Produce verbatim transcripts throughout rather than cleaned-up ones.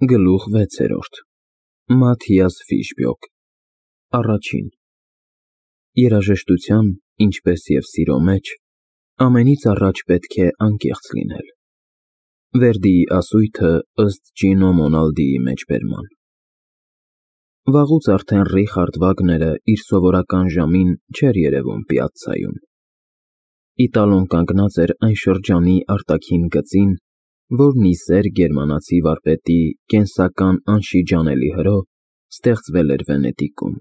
Գլուխ վեցերորդ Մաթիաս Ֆիշբյոկ Առաջին Երաժշտության, ինչպես և սիրո մեջ, ամենից առաջ պետք է անկեղծ լինել։ Վերդիի ասույթը ըստ Ճինո Մոնալդիի մեջբերման։ Վաղուց արդեն Ռիխարդ Վագները իր սովորական ժամին չէր երևում պիացցայում։ Իտալոն կանգնած էր այն շրջանի արտաքին գծին, որն ի սեր գերմանացի վարպետի կենսական անշիջանելի հրով ստեղծվել էր Վենետիկում։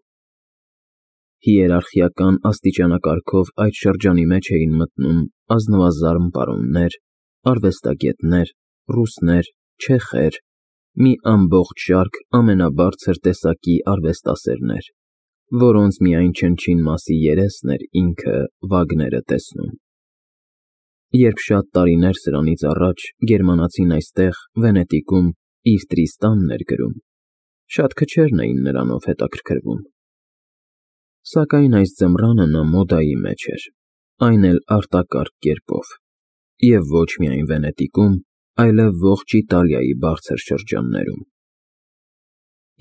Հիերարխիական աստիճանակարգով այդ շրջանի մեջ էին մտնում ազնվազարմ պարոններ, արվեստագետներ, ռուսներ, չեխեր, մի ամբողջ շարք ամենաբարձր տեսակի արվեստասերներ, որոնց միայն չնչին մասի երեսն էր ինքը Վագները տեսնում։ Երբ շատ տարիներ սրանից առաջ գերմանացին այստեղ, Վենետիկում, իր Տրիստանն էր գրում, շատ քչերն էին նրանով հետաքրքրվում։ Սակայն այս ձմռանը նա մոդայի մեջ էր, այն էլ արտակարգ կերպով, և ոչ միայն Վենետիկում, այլև ողջ Իտալիայի բարձր շրջաններում։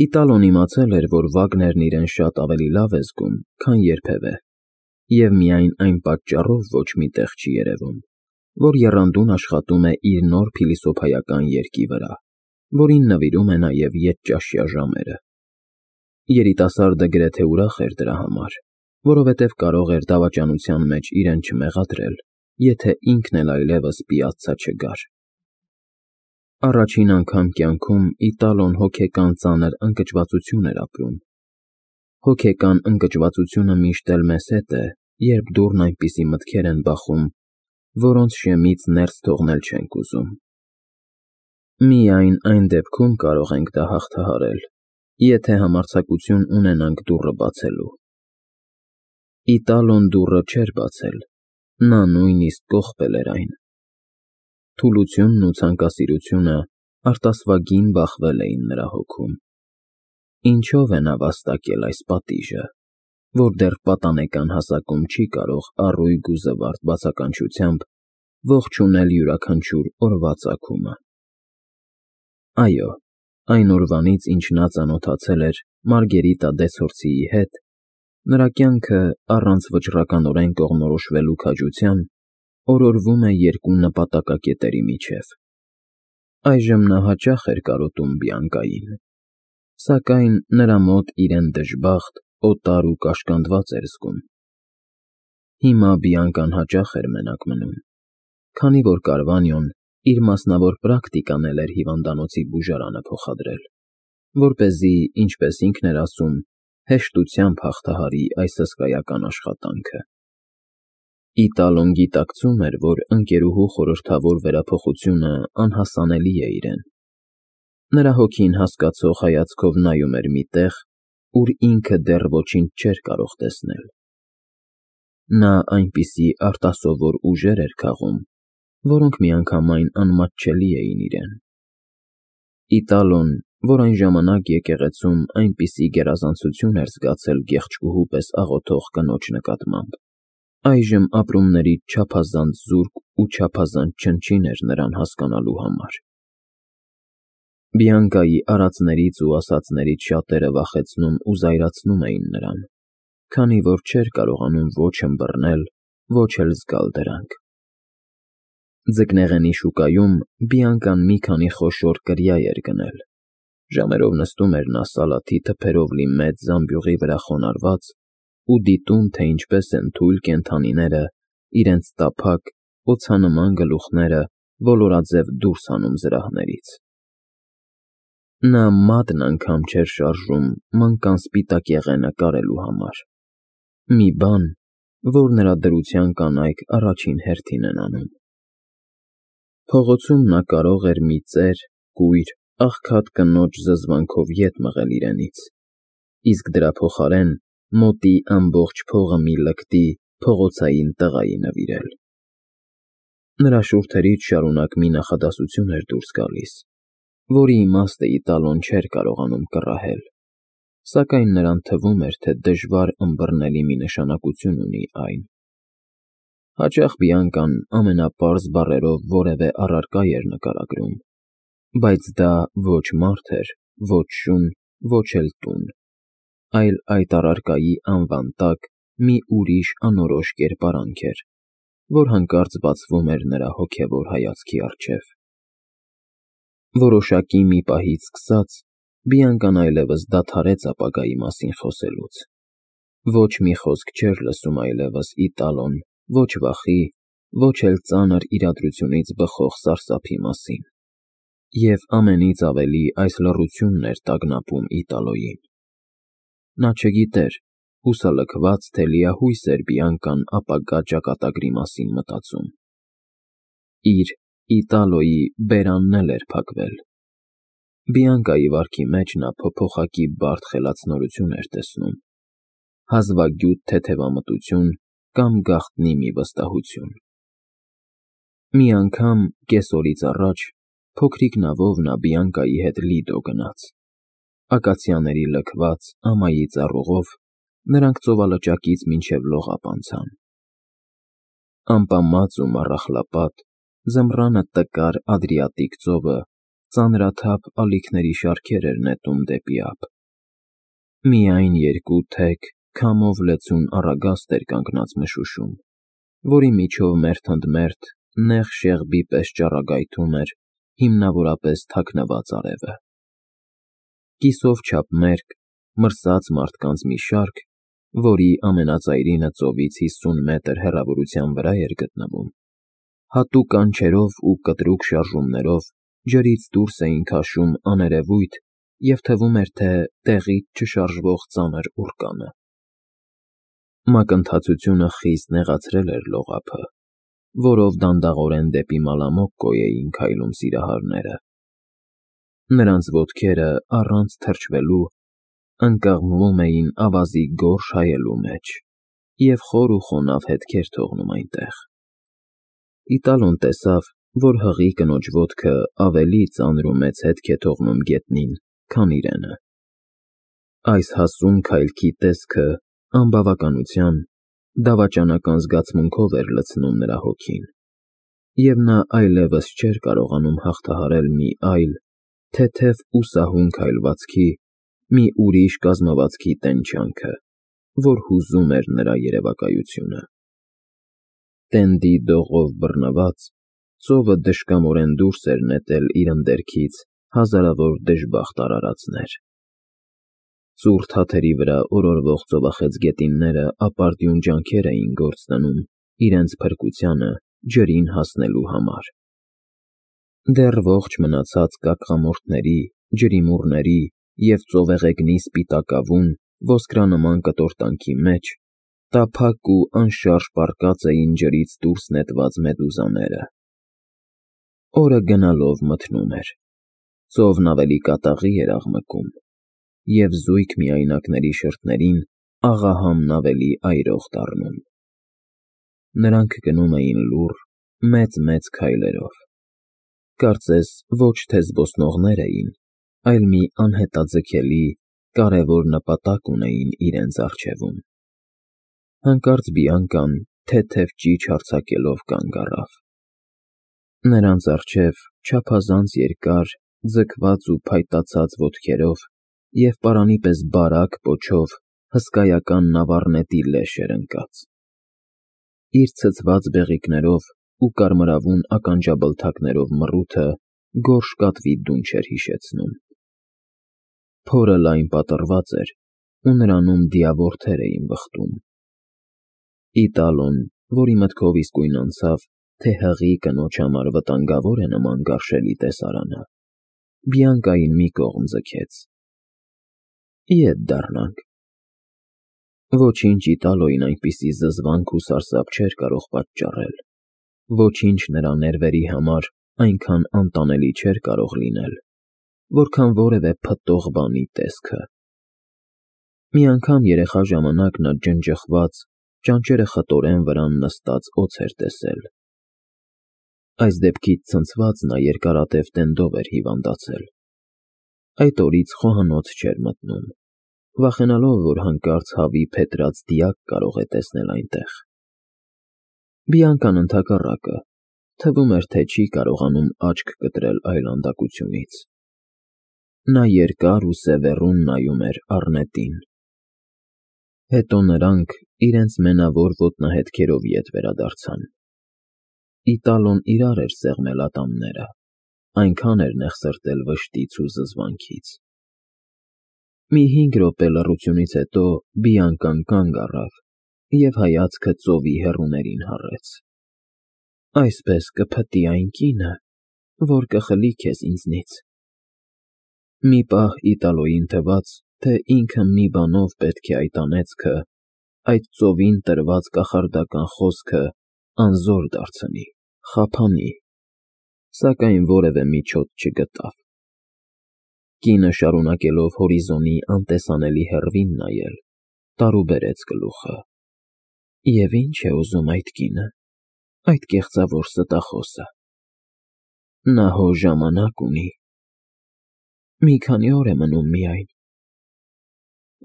Իտալոն իմացել էր, որ Վագներն իրեն շատ ավելի լավ է զգում, քան երբևէ, և միայն այն պատճառով ոչ մի տեղ չի երևում, որ եռանդուն աշխատում է իր նոր փիլիսոփայական երգի վրա, որին նվիրում է նաև ետճաշյա ժամերը։ Երիտասարդը գրեթե ուրախ էր դրա համար, որովհետև կարող էր դավաճանության մեջ իրեն չմեղադրել, եթե ինքն էլ այլևս պիացցա չգար։ Առաջին անգամ կյանքում Իտալոն հոգեկան ծանր ընկճվածություն էր ապրում։ Հոգեկան ընկճվածությունը միշտ էլ մեզ հետ է, երբ դուռն այնպիսի մտքեր են բախում, որոնց շեմից ներս թողնել չենք ուզում։ Միայն այն դեպքում կարող ենք դա հաղթահարել, եթե համարձակություն ունենանք դուռը բացելու։ Իտալոն դուռը չէր բացել, նա նույնիսկ կողպել էր այն։ Թուլությունն ու ցանկասիրությունը արտասվագին բախվել էին նրա հոգում։ Ինչո՞վ է նա վաստակել այս պատիժը, որ դեռ պատանեկան հասակում չի կարող առույգ ու զվարթ բացականչությամբ ողջունել յուրաքանչյուր օրվա ծագումը։ Այո, այն օրվանից, ինչ նա ծանոթացել էր Մարգերիտա Դեսորսիի հետ, նրա կյանքը, առանց վճռականորեն կողմնորոշվելու քաջության, օրորվում է երկու նպատակակետերի միջև։ Այժմ նա հաճախ էր կարոտում Բիանկային, սակայն նրա մոտ իրեն դժբախտ, օտար ու կաշկանդված էր զգում։ Հիմա Բիանկան հաճախ էր մենակ մնում, քանի որ Կարվանյոն իր մասնավոր պրակտիկան էլ էր հիվանդանոցի բուժարանը փոխադրել, որպեսզի, ինչպես ինքն էր ասում, հեշտությամբ հաղթահարի այս հսկայական աշխատանքը։ Իտալոն գիտակցում էր, որ ընկերուհու խորհրդավոր վերափոխությունը անհասանելի է իրեն։ Նրա հոգին հասկացող հայացքով նայում էր մի տեղ, ուր ինքը դեռ ոչինչ չէր կարող տեսնել։ Նա այնպիսի արտասովոր ուժեր էր քաղում, որոնք միանգամայն անմատչելի էին իրեն։ Իտալոն, որ այն ժամանակ եկեղեցում այնպիսի գերազանցություն էր զգացել գեղեցկուհու պես աղոթող կնոջ նկատմամբ, այժմ ապրումներից չափազանց զուրկ ու չափազանց չնչին էր նրան հասկանալու համար։ Բիանկայի արածներից ու ասածներից շատերը վախեցնում ու զայրացնում էին նրան, քանի որ չէր կարողանում ոչ ըմբռնել, ոչ էլ զգալ դրանք։ Ձկնեղենի շուկայում Բիանկան մի քանի խոշոր կրիա էր գնել, ժամերով նստում էր նա սալաթի թփերով լի մեծ զամբյուղի վրա խոնարհված ու դիտում, թե ինչպես են թույլ կենդանիները իրենց տափակ, օձանման գլուխները ոլորաձև դուրս հանում զրահներից։ Նա մատն անգամ չէր շարժում մանկան սպիտակ եղենը կարելու համար, մի բան, որ նրա դրության կանայք առաջին հերթին են անում։ Փողոցում նա կարող էր մի ծեր, կույր, աղքատ կնոջ զզվանքով ետ մղել իրենից, իսկ դրա փոխարեն մոտի ամբողջ փողը մի լկտի, փողոցային տղայի նվիրել։ Նրա շուրթերից շարունակ մի նախադասություն էր դուրս գալիս, որի իմաստը Իտալոն չէր կարողանում կռահել, սակայն նրան թվում էր, թե դժվար ըմբռնելի մի նշանակություն ունի այն։ Հաճախ Բիանկան ամենապարզ բառերով որևէ առարկա էր նկարագրում, Բայց դա ոչ մարդ էր, ոչ շուն, ոչ էլ տուն, այլ այդ առարկայի անվան տակ մի ուրիշ անորոշ կերպարանք էր, որ հանկարծ բացվում էր նրա հոգևոր հայացքի առջև։ Որոշակի մի պահից սկսած Բիանկան այլևս դադարեց ապագայի մասին խոսելուց։ Ոչ մի խոսք չէր լսում այլևս Իտալոն, ոչ վախի, ոչ էլ ծանր իրադրությունից բխող սարսափի մասին։ Եվ ամենից ավելի այս լռությունն էր տագնապում Իտալոյին։ Նա չգիտեր, հուսալքված, թե լիահույս էր Բիանկան ապագա ճակատագրի մասին մտածում։ Իր Իտալոյի բերանն էլ էր փակվել։ Բիանկայի վարքի մեջ նա փոփոխակի բարդ խելացնորություն էր տեսնում, հազվագյուտ թեթևամտություն կամ գաղտնի մի վստահություն։ Մի անգամ կեսօրից առաջ փոքրիկ նավով նա Բիանկայի հետ Լիդո գնաց։ Ակացիաների լքված ամայի ծառուղով նրանք ծովալճակից մինչև լողափ անցան։ Ամպամած ու մառախլապատ, ձմռանը տկար Ադրիատիկ ծովը ծանրաթափ ալիքների շարքեր էր նետում դեպի ափ։ Միայն երկու թեք, քամով լեցուն առագաստ էր կանգնած մշուշում, որի միջով մերթընդմերթ նեղ շեղբի պես ճառագայթում էր հիմնավորապես թաքնված արևը։ Կիսով չափ մերկ, մրսած մարդկանց մի շարք, որի ամենածայրինը ծովից հիսուն մետր հեռավորության վրա էր գտնվում, հատուկ կանչերով ու կտրուկ շարժումներով ջրից դուրս էին քաշում աներևույթ և թվում էր, թե տեղից չշարժվող ծանր ուռկանը։ Մակընթացությունը խիստ նեղացրել էր լողափը, որով դանդաղորեն դեպի Մալամոկկո էին քայլում սիրահարները։ Նրանց ոտքերը, առանց թրջվելու, ընկղմվում էին ավազի գորշ հայելու մեջ և խոր ու խոնավ հետքեր թողնում այնտեղ։ Իտալոն տեսավ, որ հղի կնոջ ոտքը ավելի ծանր ու մեծ հետք է թողնում գետնին, քան իրենը։ Այս հասուն քայլքի տեսքը անբավականության, դավաճանական զգացմունքով էր լցնում նրա հոգին, և նա այլևս չէր կարողանում հաղթահարել մի այլ, թեթև ու սահուն քայլվածքի, մի ուրիշ կազմվածքի տենչյանքը, որ հուզում էր նրա երևակայությունը։ Տենդի դողով բռնված, ծովը դժկամորեն դուրս էր նետել իր ընդերքից հազարավոր դժբախտ արարածներ։ Ծուռ թաթերի վրա օրորվող ծովախեցգետինները ապարդյուն ջանքեր էին գործ դնում իրենց փրկությանը ջրին հասնելու համար։ Դեռ ողջ մնացած կակղամորթների, ջրիմուռների և ծովեղեգնի սպիտակավուն, ոսկրանման կտորտանքի մեջ տափակ ու անշարժ պառկած էին ջրից դուրս նետված մեդուզաները։ Օրը գնալով մթնում էր, ծովն ավելի կատաղի էր աղմկում, և զույգ միայնակների շրթներին աղահամն ավելի այրող դառնում։ Նրանք գնում էին լուռ, մեծ-մեծ քայլերով։ Կարծես ոչ թե զբոսնողներ էին, այլ մի անհետաձգելի, կարևոր նպատակ ունեին իրենց առջևում։ Հանկարծ Բիանկան թեթև ճիչ արձակելով կանգ առավ։ Նրանց առջև չափազանց երկար, ձգված ու փայտացած ոտքերով և պարանի պես բարակ պոչով հսկայական նավառնետի լեշ էր ընկած։ Իր ցցված բեղիկներով ու կարմրավուն ականջաբլթակներով մռութը գորշ կատվի դունչ էր հիշեցնում։ Փորը լայն պատռված էր, ու նրանում դիավորներ էին վխտում։ Իտալոն, որի մտքով իսկույն անցավ, թե հղի կնոջ համար վտանգավոր է նման գարշելի տեսարանը, Բիանկային մի կողմ ձգեց։ Ետ դառնանք։ Ոչինչ Իտալոյին այնպիսի զզվանք ու սարսափ չէր կարող պատճառել, ոչինչ նրա ներվերի համար այնքան անտանելի չէր կարող լինել, որքան որևէ փտտող բանի տեսքը։ Մի անգամ երեխա ժամանակ նա ջնջխված, ճանճերը խտորեն վրան նստած օձ էր տեսել։ Այս դեպքից ցնցված նա երկարատև տենդով էր հիվանդացել։ Այդ օրից խոհանոց չէր մտնում, վախենալով, որ հանկարծ հավի փետրած դիակ կարող է տեսնել այնտեղ։ Բիանկան ընդհակառակը, Թվում էր, թե չի կարողանում աչք կտրել այլանդակությունից։ Նա երկար ու սևեռուն նայում էր առնետին։ Հետո նրանք իրենց մենավոր ոտնահետքերով ետ վերադարձան։ Իտալոն իրար էր սեղմել ատամները, այնքան էր նեղսրտել վշտից ու զզվանքից։ Մի հինգ րոպե լռությունից հետո Բիանկան կանգ առավ և հայացքը ծովի հեռուներին հառեց։ Այսպես կփտի այն կինը, որ կխլի քեզ ինձնից։ Մի պահ Իտալոյին թվաց, թե ինքը մի բանով պետք է այդ անեծքը, այդ ծովին տրված կախարդական խոսքը անզոր դարձնի, խափանի, սակայն որևէ միջոց չգտավ։ Կինը, շարունակելով հորիզոնի անտեսանելի հեռվին նայել, տարուբերեց գլուխը։ Եվ ի՞նչ է ուզում այդ կինը, այդ կեղծավոր ստախոսը։ Նա հո ժամանակ ունի։ Մի քանի օր է մնում միայն։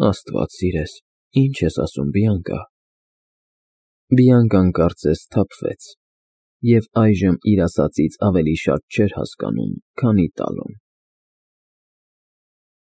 Աստված սիրես, ի՞նչ ես ասում, Բիանկա։ Բիանկան կարծես սթափվեց և այժմ իր ասածից ավելի շատ չէր հասկանում, քան Իտալոն։